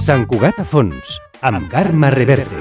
Sant Cugat a fons, amb Carme Reverte.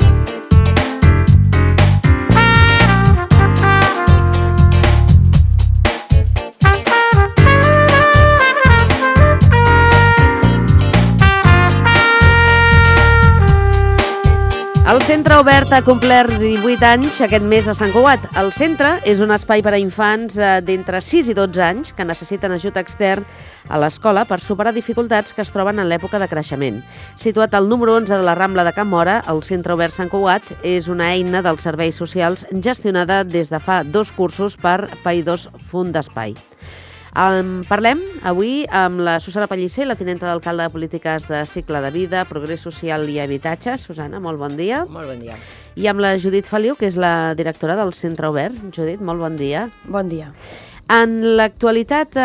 El Centre Obert ha complert 18 anys aquest mes a Sant Cugat. El centre és un espai per a infants d'entre 6 i 12 anys que necessiten ajut extern a l'escola per superar dificultats que es troben en l'època de creixement. Situat al número 11 de la Rambla de Can Móra, el Centre Obert Sant Cugat és una eina dels serveis socials gestionada des de fa 2 cursos per Païdors Fund d'Espai. Parlem avui amb la Susana Pellicer, la tinenta d'alcalde de Polítiques de Cicle de Vida, Progrés Social i Habitatge. Susana, molt bon dia. Molt bon dia. I amb la Judit Feliu, que és la directora del Centre Obert. Judit, molt bon dia. Bon dia. En l'actualitat,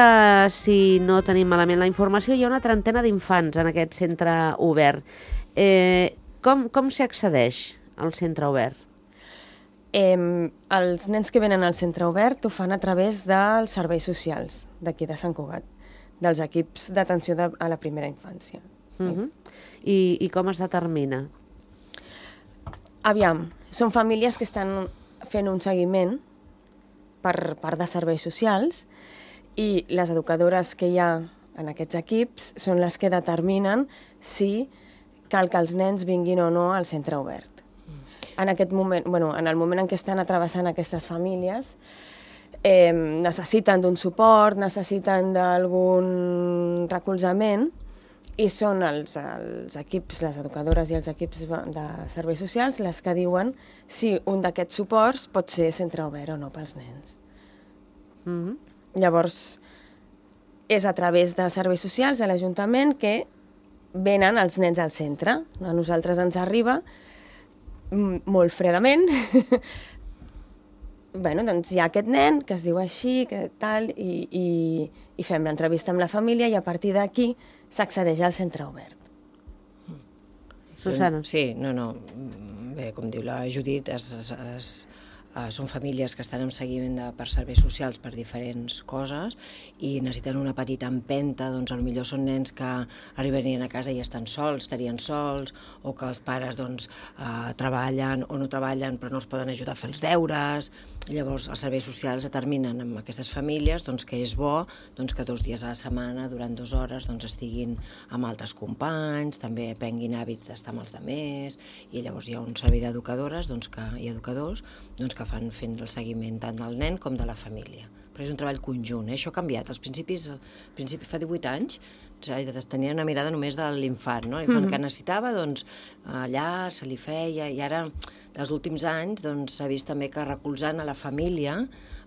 si no tenim malament la informació, hi ha una trentena d'infants en aquest centre obert. Com s'hi accedeix al centre obert? Els nens que venen al centre obert ho fan a través dels serveis socials d'aquí de Sant Cugat, dels equips d'atenció a la primera infància. I com es determina? Aviam, són famílies que estan fent un seguiment per part de serveis socials i les educadores que hi ha en aquests equips són les que determinen si cal que els nens vinguin o no al centre obert. En aquest moment, en el moment en què estan travessant aquestes famílies, necessiten d'un suport, necessiten d'algun recolzament i són els equips, les educadores i els equips de serveis socials les que diuen si un d'aquests suports pot ser centre obert o no pels nens. Llavors, és a través de serveis socials de l'Ajuntament que venen els nens al centre. A nosaltres ens arriba molt fredament. Doncs hi ha aquest nen que es diu així, que tal, i fem l'entrevista amb la família i a partir d'aquí s'accedeix al centre obert. Susana. Sí, bé, com diu la Judit, són famílies que estan en seguiment per serveis socials per diferents coses i necessiten una petita empenta, doncs potser són nens que arribarien a casa i estan sols, estarien sols, o que els pares treballen o no treballen però no els poden ajudar a fer els deures. Llavors els serveis socials determinen amb aquestes famílies que és bo que 2 dies a la setmana, durant 2 hores, estiguin amb altres companys, també aprenguin hàbits d'estar amb els altres, i llavors hi ha un servei d'educadores i educadors que fan fent el seguiment tant del nen com de la família. Però és un treball conjunt, això ha canviat. Al principi fa 18 anys, tenia una mirada només de l'infant, no? L'infant que necessitava, allà se li feia, i ara, dels últims anys, s'ha vist també que recolzant a la família,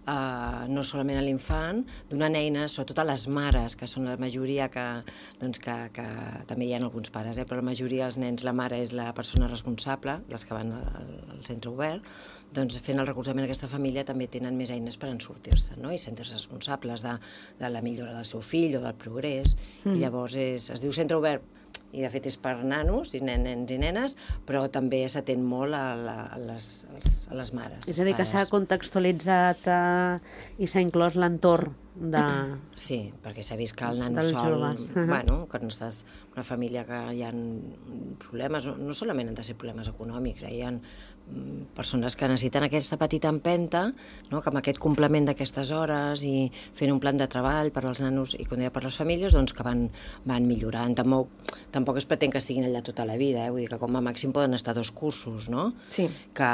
no solament a l'infant, donant eines, sobretot a les mares, que són la majoria que també hi ha alguns pares, però la majoria dels nens, la mare és la persona responsable, les que van al centre obert, fent el recolzament a aquesta família també tenen més eines per en sortir-se, no? I sentir-se responsables de la millora del seu fill o del progrés, i llavors es diu centre obert, i de fet és per nanos i nens i nenes, però també s'atén molt a les mares. És a dir, que s'ha contextualitzat i s'ha inclòs l'entorn de... Sí, perquè s'ha vist que el nano sol... Quan estàs en una família que hi ha problemes, no solament han de ser problemes econòmics, hi ha persones que necessiten aquesta petita empenta, que amb aquest complement d'aquestes hores i fent un plan de treball per als nanos i com deia per les famílies, que van millorant. Tampoc es pretén que estiguin allà tota la vida, vull dir que com a màxim poden estar 2 cursos, no? Sí. Que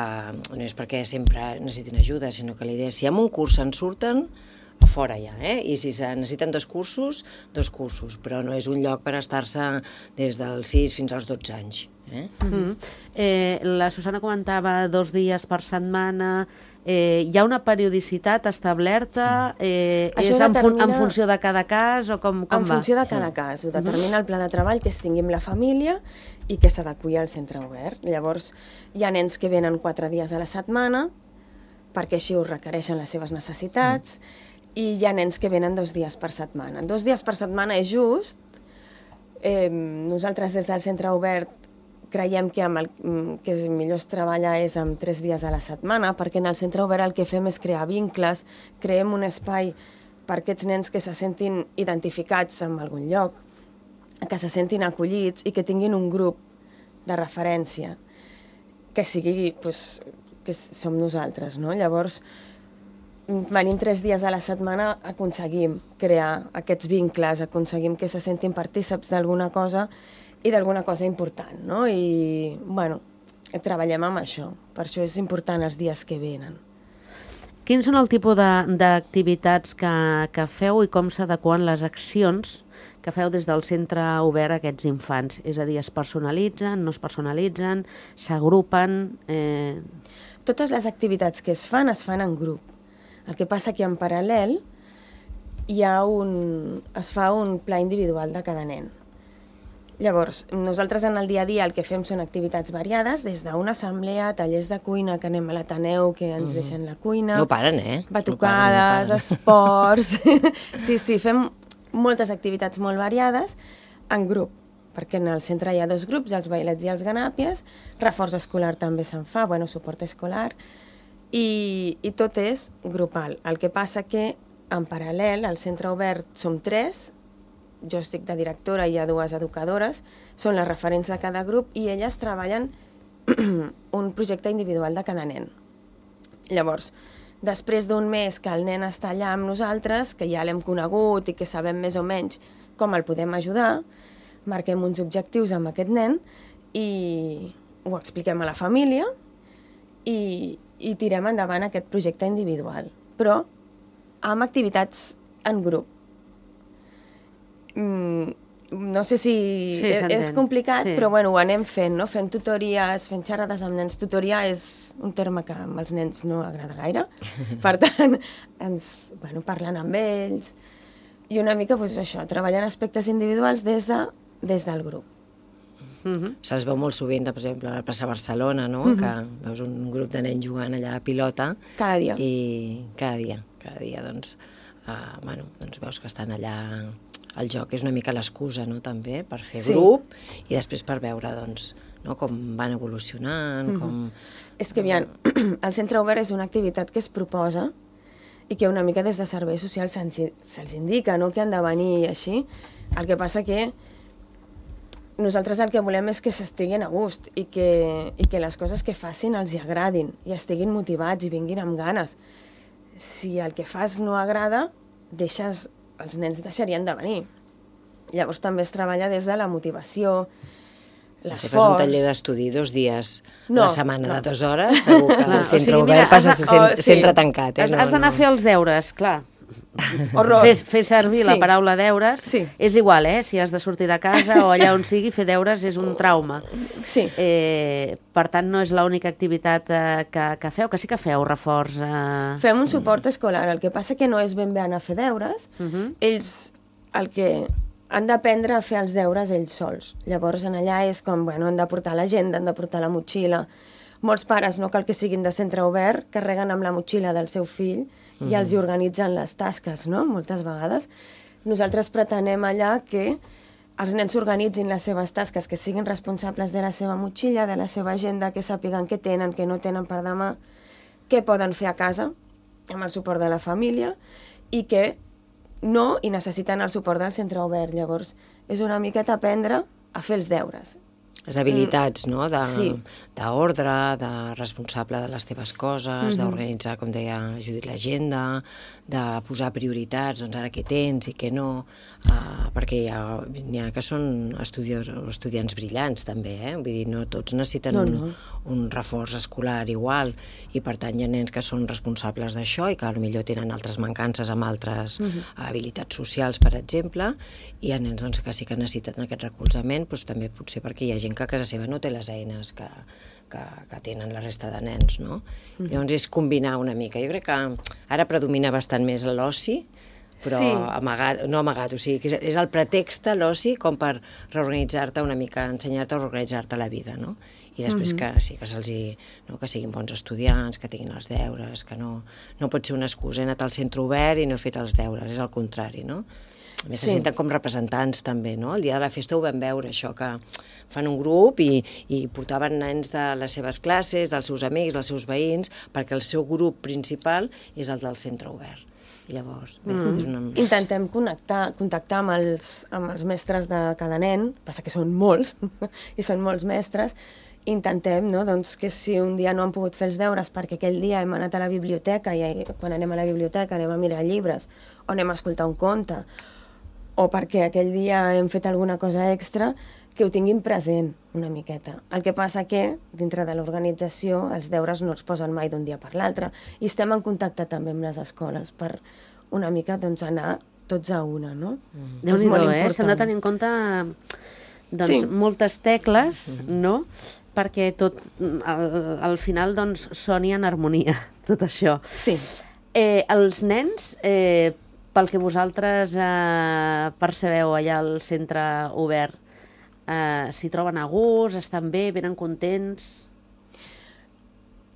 no és perquè sempre necessitin ajuda, sinó que la idea és si en un curs se'n surten, a fora ja, i si necessiten 2 cursos, però no és un lloc per estar-se des dels 6 fins als 12 anys. La Susana comentava 2 dies per setmana. Hi ha una periodicitat establerta? És en funció de cada cas o com va? En funció de cada cas. Ho determina el pla de treball que es tingui amb la família i que s'adequi al centre obert. Llavors, hi ha nens que venen 4 dies a la setmana perquè així ho requereixen les seves necessitats, i hi ha nens que venen 2 dies per setmana. 2 dies per setmana és just. Nosaltres des del centre obert creiem que millor es treballa és amb 3 dies a la setmana, perquè en el centre obert el que fem és crear vincles, creem un espai per aquests nens que se sentin identificats en algun lloc, que se sentin acollits i que tinguin un grup de referència, que sigui, doncs, que som nosaltres, no? Llavors, venint 3 dies a la setmana aconseguim crear aquests vincles, aconseguim que se sentin partíceps d'alguna cosa i d'alguna cosa important, no? I, bueno, treballem amb això. Per això és important els dies que venen. Quins són el tipus d'activitats que feu i com s'adequen les accions que feu des del centre obert a aquests infants? És a dir, es personalitzen, no es personalitzen, s'agrupen... Totes les activitats que es fan en grup. El que passa que en paral·lel es fa un pla individual de cada nen. Llavors, nosaltres en el dia a dia el que fem són activitats variades, des d'una assemblea, tallers de cuina, que anem a l'Ateneu, que ens deixen la cuina... No paren, Batucades, esports... Sí, fem moltes activitats molt variades en grup, perquè en el centre hi ha 2 grups, els bailets i els ganàpies, reforç escolar també se'n fa, suport escolar, i tot és grupal. El que passa que, en paral·lel, al centre obert som 3, jo estic de directora i hi ha 2 educadores, són les referents de cada grup i elles treballen un projecte individual de cada nen. Llavors, després d'un mes que el nen està allà amb nosaltres, que ja l'hem conegut i que sabem més o menys com el podem ajudar, marquem uns objectius amb aquest nen i ho expliquem a la família i tirem endavant aquest projecte individual, però amb activitats en grup. No sé si és complicat, però ho anem fent, no? Fent tutories, fent xerrades amb nens. Tutoria és un terme que amb els nens no agrada gaire, per tant, parlant amb ells, i una mica això, treballant aspectes individuals des del grup. Se'ls veu molt sovint, per exemple, a la plaça Barcelona, no? Que veus un grup de nens jugant allà a pilota. Cada dia. I cada dia, doncs veus que estan allà. El joc és una mica l'excusa, no?, també, per fer grup i després per veure, doncs, com van evolucionant, com... És que, aviam, el centre obert és una activitat que es proposa i que una mica des de serveis socials se'ls indica, no?, que han de venir i així. El que passa que nosaltres el que volem és que s'estiguin a gust i que les coses que facin els hi agradin i estiguin motivats i vinguin amb ganes. Si el que fas no agrada, els nens deixarien de venir. Llavors també es treballa des de la motivació, l'esforç... Si fas un taller d'estudi 2 dies a la setmana de 2 hores, segur que el centre obert passa a ser centre tancat. Has d'anar a fer els deures, clar. Horror. Fer servir la paraula deures és igual, si has de sortir de casa o allà on sigui, fer deures és un trauma. Sí. Per tant, no és l'única activitat que feu, que sí que feu reforç... Fem un suport escolar, el que passa que no és ben bé anar a fer deures. Ells el que han d'aprendre a fer els deures ells sols. Llavors, allà és com, han de portar l'agenda, han de portar la motxilla. Molts pares, no cal que siguin de centre obert, carreguen amb la motxilla del seu fill i els hi organitzen les tasques, no?, moltes vegades. Nosaltres pretenem allà que els nens s'organitzin les seves tasques, que siguin responsables de la seva motxilla, de la seva agenda, que sàpiguen què tenen, què no tenen per demà, què poden fer a casa, amb el suport de la família, i que no i necessiten el suport del centre obert. Llavors, és una miqueta aprendre a fer els deures. Les habilitats, no?, d'ordre, de responsable de les teves coses, d'organitzar, com deia Judit, l'agenda, de posar prioritats, doncs ara què tens i què no, perquè n'hi ha que són estudiants brillants també, vull dir, no tots necessiten un reforç escolar igual, i per tant hi ha nens que són responsables d'això i que potser tenen altres mancances amb altres habilitats socials, per exemple, i hi ha nens que sí que necessiten aquest recolzament, doncs també potser perquè hi ha gent que a casa seva no té les eines que tenen la resta de nens, no? Llavors és combinar una mica. Jo crec que ara predomina bastant més l'oci, però no amagat, o sigui, és el pretext l'oci com per reorganitzar-te una mica, ensenyar-te a reorganitzar-te la vida, no? I després que siguin bons estudiants, que tinguin els deures, que no pot ser una excusa, he anat al centre obert i no he fet els deures, és el contrari, no? A més, se senten com representants també, no? El dia de la festa ho vam veure, això, que fan un grup i portaven nens de les seves classes, dels seus amics, dels seus veïns, perquè el seu grup principal és el del centre obert. I llavors, bé, és una... Intentem contactar amb els mestres de cada nen, passa que són molts, i són molts mestres. Intentem, no?, doncs, que si un dia no han pogut fer els deures perquè aquell dia hem anat a la biblioteca i quan anem a la biblioteca anem a mirar llibres o anem a escoltar un conte, o perquè aquell dia hem fet alguna cosa extra, que ho tinguin present una miqueta. El que passa que, dintre de l'organització, els deures no els posen mai d'un dia per l'altre i estem en contacte també amb les escoles per una mica doncs, anar tots a una, no? Déu-n'hi-do, s'han de tenir en compte doncs, moltes tecles, no?, perquè tot, al final, doncs, soni en harmonia, tot això. Sí. Els nens, pel que vosaltres percebeu allà al centre obert, s'hi troben a gust, estan bé, venen contents?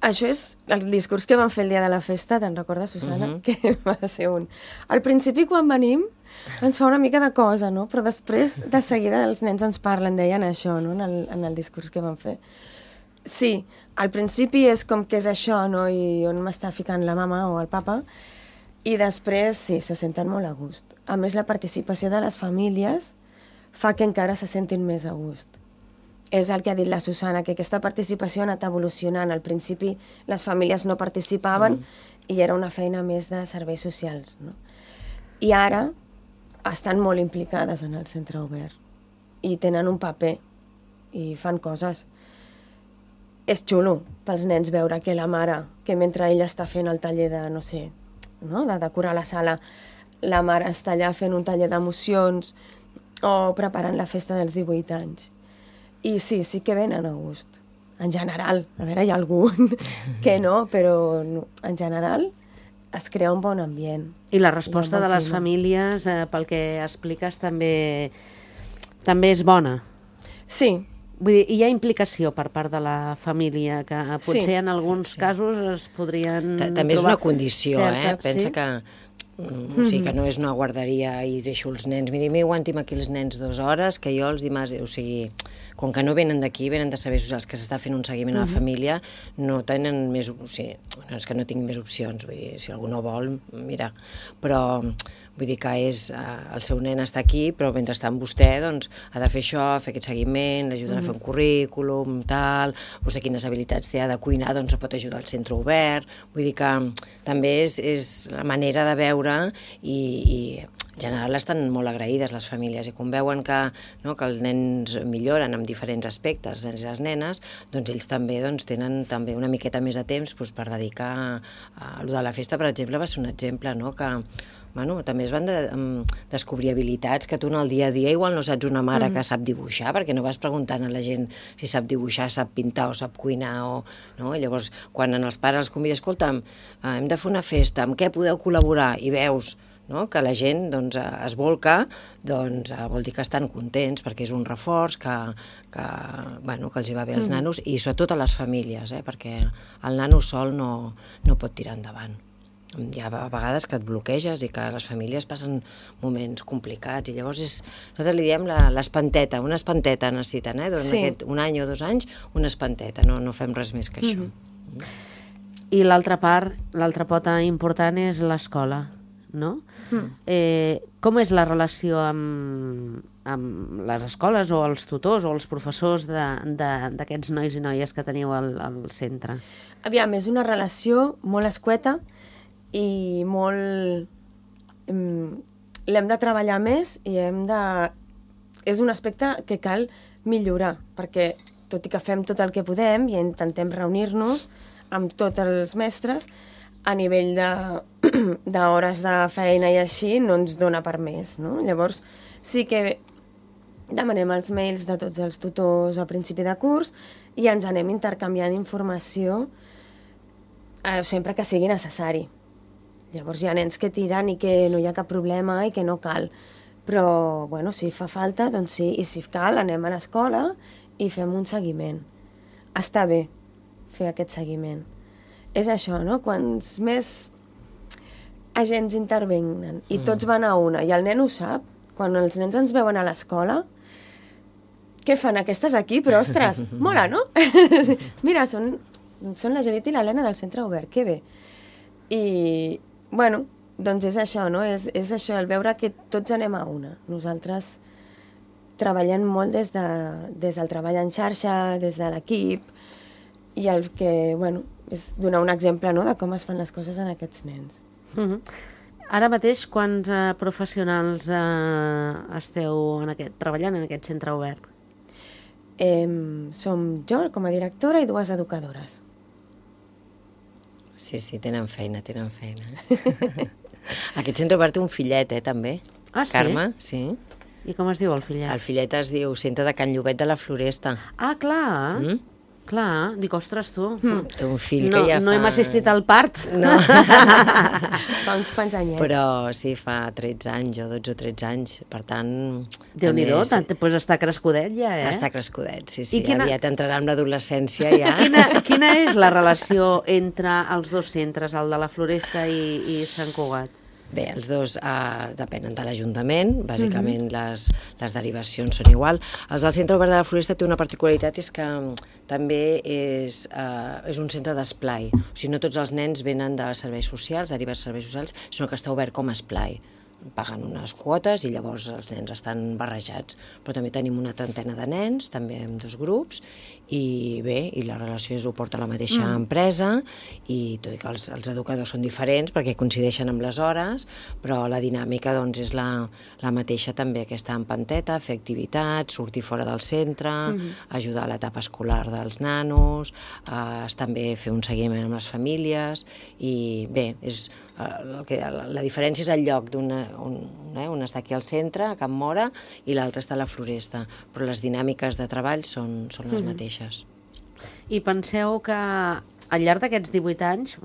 Això és el discurs que vam fer el dia de la festa, te'n recordes, Susana? Que va ser un... Al principi, quan venim, ens fa una mica de cosa, no? Però després, de seguida, els nens ens parlen, deien això, no?, en el discurs que vam fer. Sí, al principi és com que és això, no?, i on m'està ficant la mama o el papa, i després, sí, se senten molt a gust. A més, la participació de les famílies fa que encara se sentin més a gust. És el que ha dit la Susana, que aquesta participació ha anat evolucionant. Al principi les famílies no participaven i era una feina més de serveis socials, no? I ara estan molt implicades en el centre obert i tenen un paper i fan coses. És xulo pels nens veure que la mare, que mentre ella està fent el taller de, no sé, no?, de decorar la sala, la mare està allà fent un taller d'emocions o preparant la festa dels 18 anys. I sí, sí que venen a gust. En general, a veure, hi ha algun que no, però en general es crea un bon ambient. I la resposta de les famílies, pel que expliques, també és bona. Sí. Vull dir, hi ha implicació per part de la família, que potser en alguns casos es podrien també és una condició, pensa sí? que... O sigui, que no és una guarderia i deixo els nens. Miri, aguanti'm aquí els nens 2 hores, que jo els dimarts... O sigui, com que no venen d'aquí, venen de serveis socials, que s'està fent un seguiment a la família, no tenen més... O sigui, no és que no tinc més opcions, vull dir, si algú no vol, mira. Però vull dir que és... El seu nen està aquí, però mentrestant vostè, doncs, ha de fer això, fer aquest seguiment, l'ajuden a fer un currículum, tal... Vostè quines habilitats té, ha de cuinar, doncs pot ajudar al centre obert. Vull dir que també és la manera de veure i en general estan molt agraïdes les famílies i quan veuen que els nens milloren en diferents aspectes, els nens i les nenes, doncs ells també tenen també una miqueta més de temps per dedicar a allò de la festa, per exemple, va ser un exemple, no?, que també es van descobrir habilitats que tu en el dia a dia igual no saps una mare que sap dibuixar, perquè no vas preguntant a la gent si sap dibuixar, sap pintar o sap cuinar, no? I llavors quan els pares els conviden, escolta'm, hem de fer una festa, amb què podeu col·laborar? I veus que la gent es volca, vol dir que estan contents perquè és un reforç que els hi va bé als nanos i sobretot a les famílies, perquè el nano sol no pot tirar endavant. Hi ha vegades que et bloqueges i que les famílies passen moments complicats i llavors nosaltres li diem l'espanteta, una espanteta necessiten, durant un any o 2 anys, una espanteta, no fem res més que això. I l'altra part, l'altra pota important és l'escola, no? Com és la relació amb les escoles o els tutors o els professors d'aquests nois i noies que teniu al centre? Aviam, és una relació molt escueta i molt... l'hem de treballar més i és un aspecte que cal millorar, perquè tot i que fem tot el que podem i intentem reunir-nos amb tots els mestres, a nivell d'hores de feina i així no ens dona per més, no? Llavors sí que demanem els mails de tots els tutors a principi de curs i ens anem intercanviant informació sempre que sigui necessari. Llavors hi ha nens que tiren i que no hi ha cap problema i que no cal. Però, bueno, si fa falta, doncs sí. I si cal, anem a l'escola i fem un seguiment. Està bé fer aquest seguiment. És això, no? Quants més agents intervenen i tots van a una i el nen ho sap, quan els nens ens veuen a l'escola, què fan aquestes aquí? Però, ostres, mola, no? Mira, són la Judit i l'Helena del centre obert, que bé. I, bueno, Doncs és això, no? És això, el veure que tots anem a una. Nosaltres treballem molt des del treball en xarxa, des de l'equip, i el que, bueno, és donar un exemple, no?, de com es fan les coses en aquests nens. Ara mateix, quants professionals esteu treballant en aquest centre obert? Som jo com a directora i 2 educadores. Sí, tenen feina. Aquest centre obert té un fillet, també. Ah, sí? Carme, sí. I com es diu el fillet? El fillet es diu Centre de Can Llobet de la Floresta. Ah, clar. Clar, dic, ostres, tu. Té un fill que ja fa... No hem assistit al part. No. Fa uns quants anyets. Però sí, fa 13 anys o 12 o 13 anys. Per tant... Déu-n'hi-do, doncs està crescudet ja, eh? Està crescudet, sí. Aviat entrarà en l'adolescència ja. Quina és la relació entre els 2 centres, el de la Floresta i Sant Cugat? Bé, els 2 depenen de l'Ajuntament, bàsicament les derivacions són igual. Els del Centre Obert de la Floresta té una particularitat, és que també és un centre d'esplai. O sigui, no tots els nens venen de serveis socials, derivats de serveis socials, sinó que està obert com a esplai. Paguen unes quotes i llavors els nens estan barrejats. Però també tenim una trentena de nens, també amb 2 grups, i bé, i la relació ho porta la mateixa empresa, i tot i que els educadors són diferents perquè coincideixen amb les hores, però la dinàmica doncs és la mateixa també, aquesta empanteta, fer activitats, sortir fora del centre, ajudar a l'etapa escolar dels nanos, també fer un seguiment amb les famílies, i bé, la diferència és el lloc un està aquí al centre, a Can Móra, i l'altre està a la Floresta, però les dinàmiques de treball són les mateixes. I penseu que al llarg d'aquests 18 anys,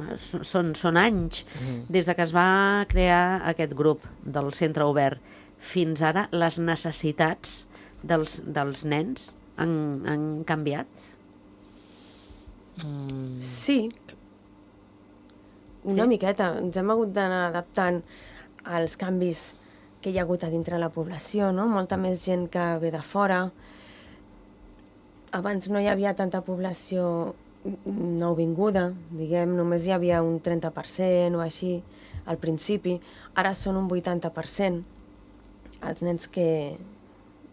són anys, des de que es va crear aquest grup del centre obert, fins ara les necessitats dels nens han canviat? Sí, una miqueta. Ens hem hagut d'anar adaptant als canvis que hi ha hagut a dintre la població, no? Molta més gent que ve de fora. Abans no hi havia tanta població nouvinguda, diguem, només hi havia un 30% o així al principi. Ara són un 80%. Els nens que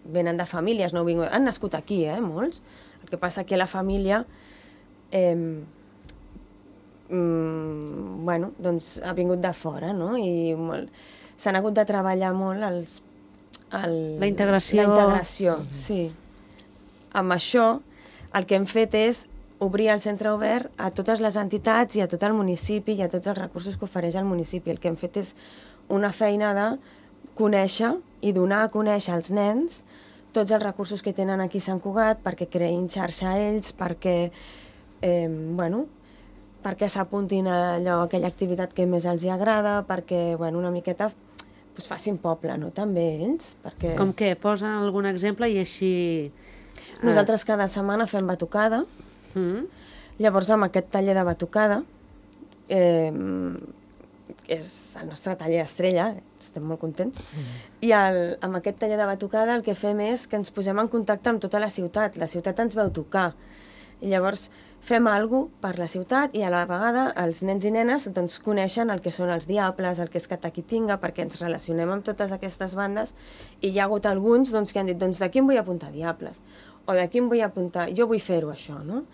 venen de famílies nouvingudes, han nascut aquí, molts. El que passa que la família doncs ha vingut de fora, no? I s'han hagut de treballar molt la integració. La integració, sí. Amb això, el que hem fet és obrir el centre obert a totes les entitats i a tot el municipi i a tots els recursos que ofereix el municipi. El que hem fet és una feina de conèixer i donar a conèixer als nens tots els recursos que tenen aquí a Sant Cugat perquè creïn xarxa a ells, perquè perquè s'apuntin a aquella activitat que més els agrada, perquè una miqueta facin poble, no? També ells. Perquè... Com què? Posa algun exemple i així... Nosaltres cada setmana fem batucada. Llavors, amb aquest taller de batucada, és el nostre taller estrella, estem molt contents, i amb aquest taller de batucada el que fem és que ens posem en contacte amb tota la ciutat ens veu tocar, i llavors fem alguna cosa per la ciutat i a la vegada els nens i nenes doncs, coneixen el que són els diables, el que és Cataquitinga, perquè ens relacionem amb totes aquestes bandes, i hi ha hagut alguns doncs, que han dit, doncs d'aquí em vull apuntar diables, o d'aquí em vull apuntar, jo vull fer-ho això, no?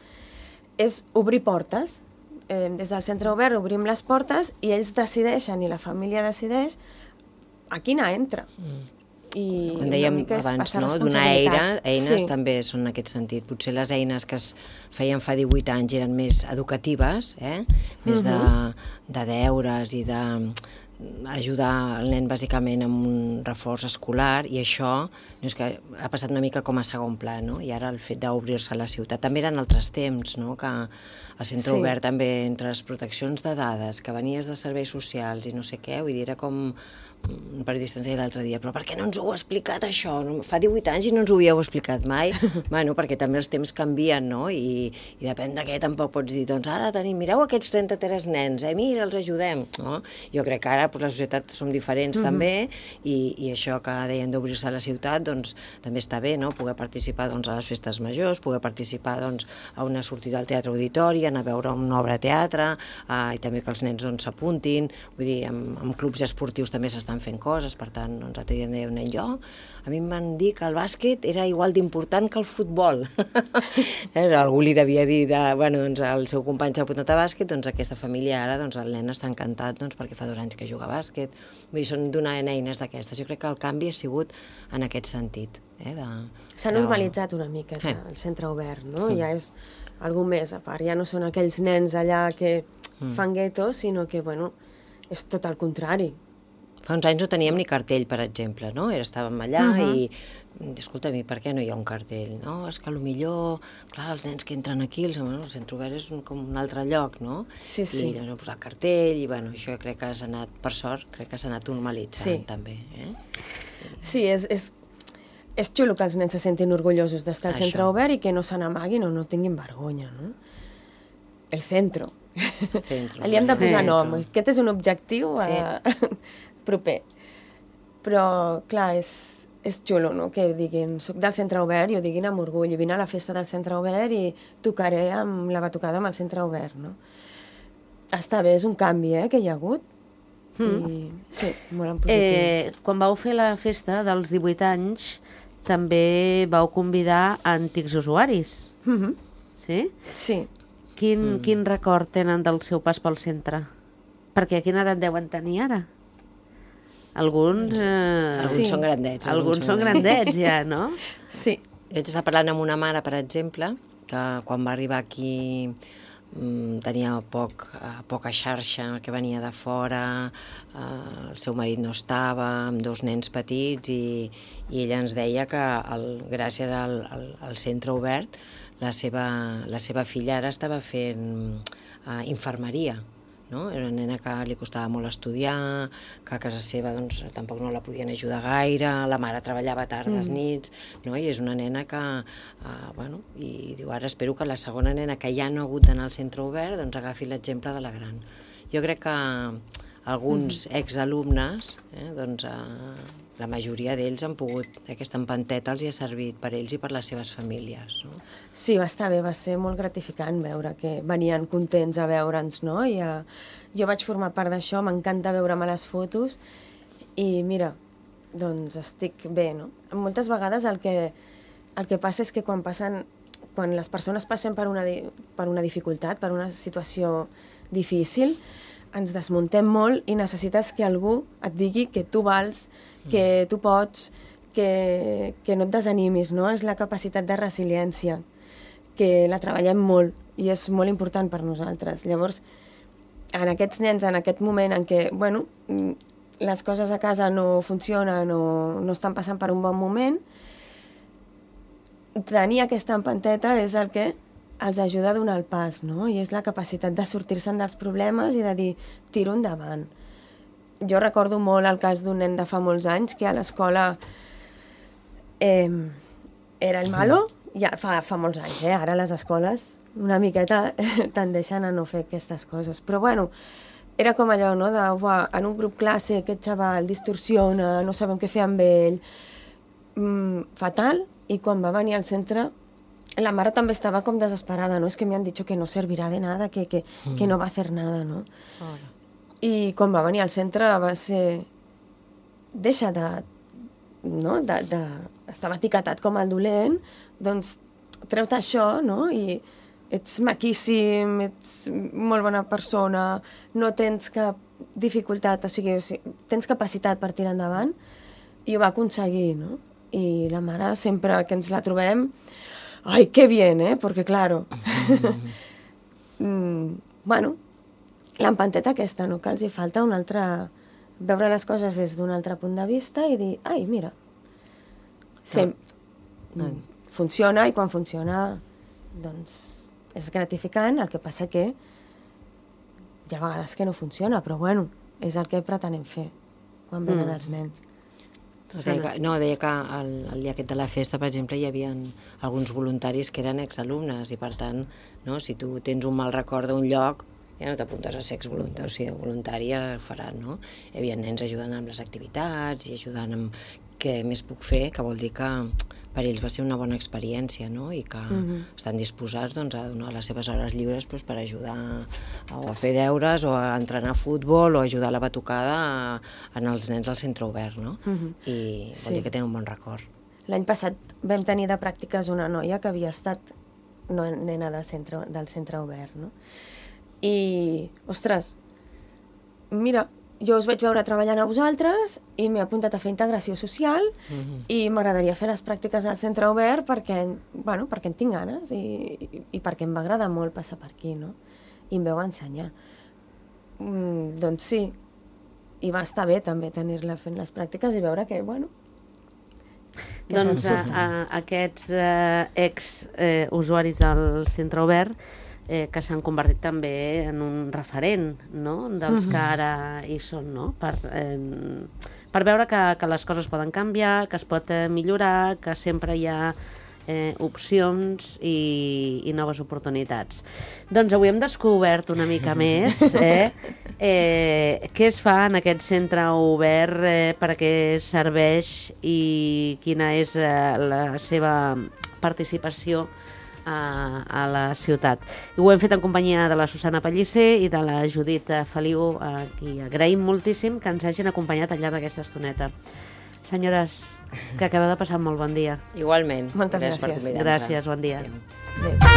És obrir portes. Des del centre obert obrim les portes i ells decideixen, i la família decideix, a quina entra. I quan dèiem abans, no? Donar eines també són en aquest sentit. Potser les eines que es feien fa 18 anys eren més educatives, més de deures i d'ajudar el nen bàsicament amb un reforç escolar, i això és que ha passat una mica com a segon pla, no? I ara el fet d'obrir-se a la ciutat. També eren altres temps, no? Que el centre obert també entre les proteccions de dades, que venies de serveis socials i no sé què, vull dir, era com un periodista ens deia l'altre dia, però per què no ens ho heu explicat això? Fa 18 anys i no ens ho havíeu explicat mai. Bueno, perquè també els temps canvien, no? I depèn de què tampoc pots dir, doncs ara tenim, mireu aquests 33 nens, mira, els ajudem, no? Jo crec que ara clar, la societat som diferents també, i això que deien d'obrir-se a la ciutat, doncs també està bé, no? Poder participar a les festes majors, poder participar a una sortida al Teatre Auditori, anar a veure una obra de teatre, i també que els nens s'apuntin, vull dir, amb clubs esportius també s'estan fent coses, per tant, l'altre dia em deia un nen, a mi em van dir que el bàsquet era igual d'important que el futbol. Algú li devia dir, el seu company s'ha apuntat a bàsquet, doncs aquesta família ara, el nen està encantat perquè fa 2 anys que juga a bàsquet. Vull dir, són donant eines d'aquestes. Jo crec que el canvi ha sigut en aquest sentit. S'ha normalitzat una mica el centre obert, no? Ja és algú més a part. Ja no són aquells nens allà que fan guetos, sinó que, és tot el contrari. Fa uns anys no teníem ni cartell, per exemple, no? Estàvem allà i, escolta, per què no hi ha un cartell? No, és que potser, clar, els nens que entren aquí, el centre obert és com un altre lloc, no? Sí. I llavors hem posat cartell, i això crec que s'ha anat, per sort, crec que s'ha anat normalitzant, també. Sí, és xulo que els nens se sentin orgullosos d'estar al centre obert i que no se n'amaguin o no tinguin vergonya, no? El centro. Li hem de posar nom. Aquest és un objectiu proper. Però, clar, és xulo, no?, que diguin, soc del centre obert i ho diguin amb orgull, i vine a la festa del centre obert i tocaré amb la batucada amb el centre obert, no? Està bé, és un canvi, que hi ha hagut. I, sí, molt en positiu. Quan vau fer la festa dels 18 anys, també vau convidar antics usuaris. Sí? Sí. Quin record tenen del seu pas pel centre? Perquè quina edat deuen tenir ara? Alguns són grandets. Alguns són grandets, ja, no? Sí. Jo vaig estar parlant amb una mare, per exemple, que quan va arribar aquí tenia poca xarxa, que venia de fora, el seu marit no estava, amb 2 nens petits, i ella ens deia que gràcies al centre obert la seva filla ara estava fent infermeria, no? Era una nena que li costava molt estudiar, que a casa seva tampoc no la podien ajudar gaire, la mare treballava tardes, nits, no? I és una nena que, i diu, ara espero que la segona nena que ja no ha hagut d'anar al centre obert agafi l'exemple de la gran. Jo crec que alguns exalumnes, la majoria d'ells han pogut, aquesta empanteta els hi ha servit per ells i per les seves famílies, no? Sí, va estar bé, va ser molt gratificant veure que venien contents a veure'ns, no? Jo vaig formar part d'això, m'encanta veure'm a les fotos i mira, doncs estic bé, no? Moltes vegades el que passa és que quan les persones passen per una dificultat, per una situació difícil, ens desmuntem molt i necessites que algú et digui que tu vals, que tu pots, que no et desanimis, no? És la capacitat de resiliència, que la treballem molt i és molt important per nosaltres. Llavors, en aquests nens, en aquest moment en què, les coses a casa no funcionen o no estan passant per un bon moment, tenir aquesta empanteta és el que els ajuda a donar el pas, no? I és la capacitat de sortir-se'n dels problemes i de dir, tiro endavant. Jo recordo molt el cas d'un nen de fa molts anys que a l'escola era el malo, ja fa molts anys, ara les escoles una miqueta tendeixen a no fer aquestes coses, però era com allò, no?, en un grup classe aquest xaval distorsiona, no sabem què fer amb ell, fatal, i quan va venir al centre la mare també estava com desesperada, no? És que me han dicho que no servirá de nada, que no va a hacer nada, no? I quan va venir al centre va ser... Deixa de... no? Estava etiquetat com el dolent, doncs treu-te això, no? I ets maquíssim, ets molt bona persona, no tens cap dificultat, o sigui, tens capacitat per tirar endavant, i ho va aconseguir, no? I la mare, sempre que ens la trobem, ¡ay, qué bien, Porque, claro, l'empanteta aquesta, no? Que els hi falta una altra... veure les coses des d'un altre punt de vista i dir, ai, mira, funciona, i quan funciona, doncs, és gratificant, el que passa que hi ha vegades que no funciona, però, és el que pretenem fer quan venen els nens. Deia que el dia aquest de la festa, per exemple, hi havia alguns voluntaris que eren exalumnes i, per tant, si tu tens un mal record d'un lloc, ja no t'apuntes a ser exvoluntari, o sigui, voluntari ja ho faran, no? Hi havia nens ajudant amb les activitats i ajudant amb què més puc fer, que vol dir que per ells va ser una bona experiència, no? I que estan disposats doncs, a donar les seves hores lliures doncs, per ajudar a fer deures o a entrenar a futbol o a ajudar a la batucada en els nens al centre obert, no? I vol dir que tenen un bon record. L'any passat vam tenir de pràctiques una noia que havia estat nena del centre obert, no? I, ostres, mira, jo us vaig veure treballant a vosaltres i m'he apuntat a fer integració social i m'agradaria fer les pràctiques al centre obert perquè en tinc ganes i perquè em va agradar molt passar per aquí, no? I em veu ensenyar. Doncs sí, i va estar bé també tenir-la fent les pràctiques i veure que, Doncs aquests ex-usuaris del centre obert que s'han convertit també en un referent, no?, dels que ara hi són, no?, per veure que les coses poden canviar, que es pot millorar, que sempre hi ha opcions i noves oportunitats. Doncs avui hem descobert una mica més què es fa en aquest centre obert, per a què serveix i quina és la seva participació a la ciutat. I ho hem fet en companyia de la Susana Pellicer i de la Judit Feliu, a qui agraïm moltíssim que ens hagin acompanyat al llarg d'aquesta estoneta. Senyores, que acabeu de passar un molt bon dia. Igualment. Moltes gràcies. Per convidar-nos. Gràcies, bon dia. Adéu. Adéu.